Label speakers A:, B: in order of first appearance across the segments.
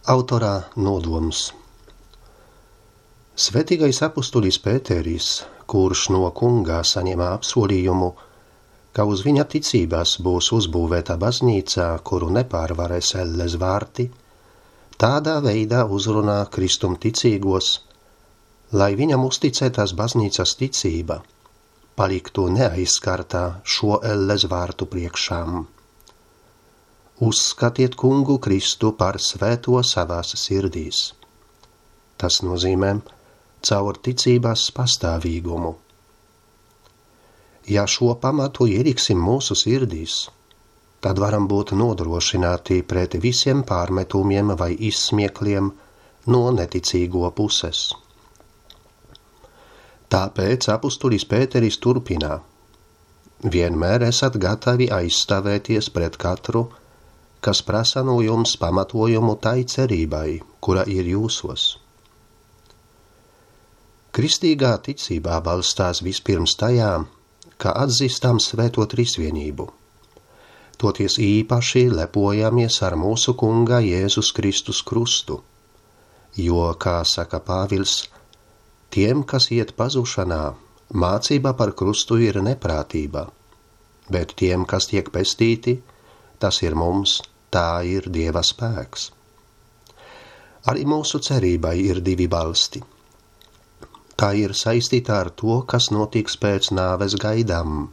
A: Autorā nodoms. Svētīgais apustulis Pēteris, kurš no Kunga saņēma apsolījumu, ka uz viņa ticībās būs uzbūvēta baznīca, kuru nepārvarēs elles vārti, tādā veidā uzrunā Kristum ticīgos, lai viņam uzticētās baznīcas ticība paliktu neaizskartā šo elles vārtu priekšām. Uzskatiet Kungu Kristu par svēto savās sirdīs. Tas nozīmē caur ticībās pastāvīgumu. Ja šo pamatu ieliksim mūsu sirdīs, tad varam būt nodrošināti pret visiem pārmetumiem vai izsmiekliem no neticīgo puses. Tāpēc apustulis Pēteris turpina: vienmēr esat gatavi aizstāvēties pret katru, kas prasa no jums pamatojumu tai cerībai, kura ir jūsos. Kristīgā ticībā balstās vispirms tajā, ka atzīstam svēto trīsvienību. Toties īpaši lepojamies ar mūsu Kunga Jēzus Kristus krustu, jo, kā saka Pāvils, tiem, kas iet pazušanā, mācība par krustu ir neprātība, bet tiem, kas tiek pestīti, tas ir mums, tā ir Dieva spēks. Arī mūsu cerībai ir divi balsti. Tā ir saistīta ar to, kas notiks pēc nāves gaidām,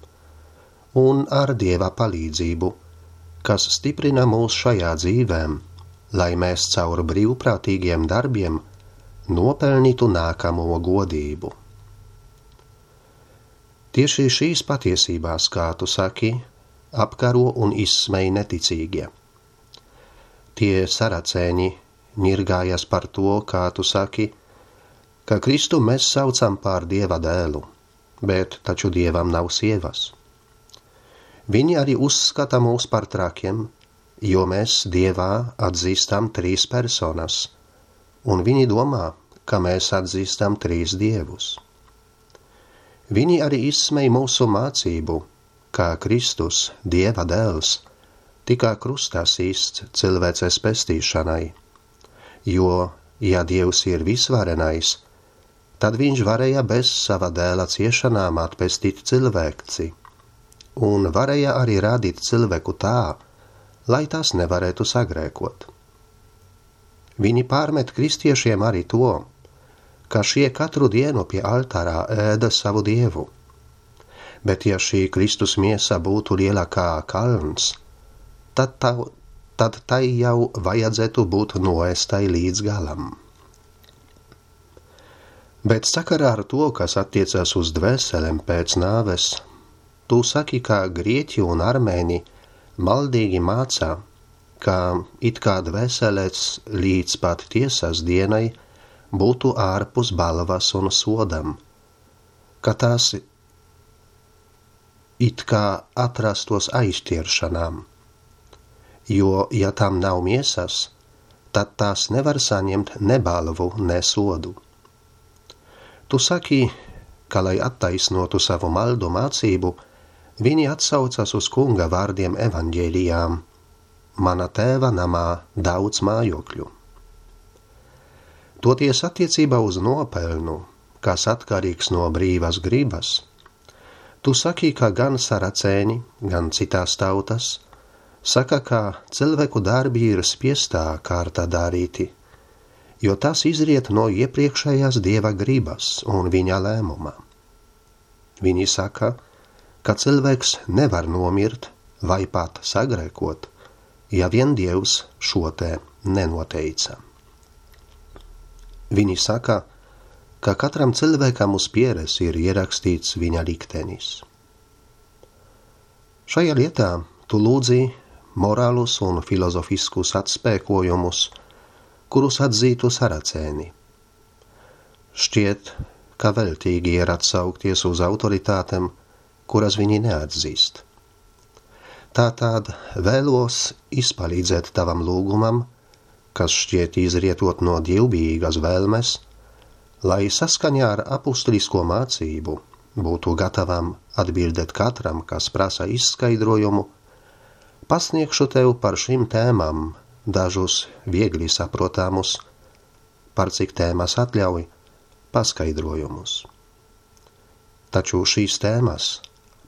A: un ar Dieva palīdzību, kas stiprina mūs šajā dzīvēm, lai mēs caur brīvprātīgiem darbiem nopelnītu nākamo godību. Tieši šīs patiesībās, kā tu saki, apkaro un izsmej neticīgie. Tie saracēņi ņirgājas par to, kā tu saki, ka Kristu mēs saucam par Dieva dēlu, bet taču Dievam nav sievas. Viņi arī uzskata mūs par trakiem, jo mēs Dievā atzīstam 3 personas, un viņi domā, ka mēs atzīstam 3 dievus. Viņi arī izsmej mūsu mācību, kā Kristus, Dieva dēls, tika krustā sists cilvēces pestīšanai, jo, ja Dievs ir visvarenais, tad viņš varēja bez sava dēla ciešanām atpestīt cilvēci, un varēja arī radīt cilvēku tā, lai tas nevarētu sagrēkot. Viņi pārmet kristiešiem arī to, ka šie katru dienu pie altārā ēda savu dievu. Bet ja šī Kristus miesa būtu liela kā kalns, tad tai jau vajadzētu būt noēstai līdz galam. Bet sakarā ar to, kas attiecas uz dvēselēm pēc nāves, tu saki, ka grieķi un armēni maldīgi mācā, ka it kā dvēselēs līdz pat tiesas dienai būtu ārpus balvas un sodam, ka tās it kā atrastos aizķiršanām, jo, ja tam nav miesas, tad tās nevar saņemt ne balvu, ne sodu. Tu saki, ka, lai attaisnotu savu maldu mācību, viņi atsaucas uz Kunga vārdiem evaņģēlijām: mana tēva namā daudz mājokļu. Toties attiecībā uz nopelnu, kas atkarīgs no brīvas gribas, tu saki, ka gan saracēņi, gan citās tautas saka, ka cilvēku darbi ir spiestā kārtā darīti, jo tas izriet no iepriekšējās Dieva gribas un viņa lēmuma. Viņi saka, ka cilvēks nevar nomirt vai pat sagrēkot, ja vien Dievs šo te nenoteica. Viņi saka, ka katram cilvēkam uz pieres ir ierakstīts viņa liktenis. Šajā lietā tu lūdzi morālus un filozofiskus atspēkojumus, kurus atzītu saracēni. Šķiet, ka veltīgi ir atsaukties uz autoritātēm, kuras viņi neatzīst. Tātad vēlos izpalīdzēt tavam lūgumam, kas šķiet izrietot no dievbijīgas vēlmes, lai saskaņā ar apustulisko mācību būtu gatavam atbildēt katram, kas prasa izskaidrojumu, pasniegšu tev par šīm tēmām dažus viegli saprotamus, par cik tēmas atļauj paskaidrojumus. Taču šīs tēmas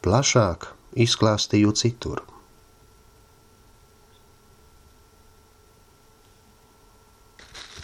A: plašāk izklāstīju citur.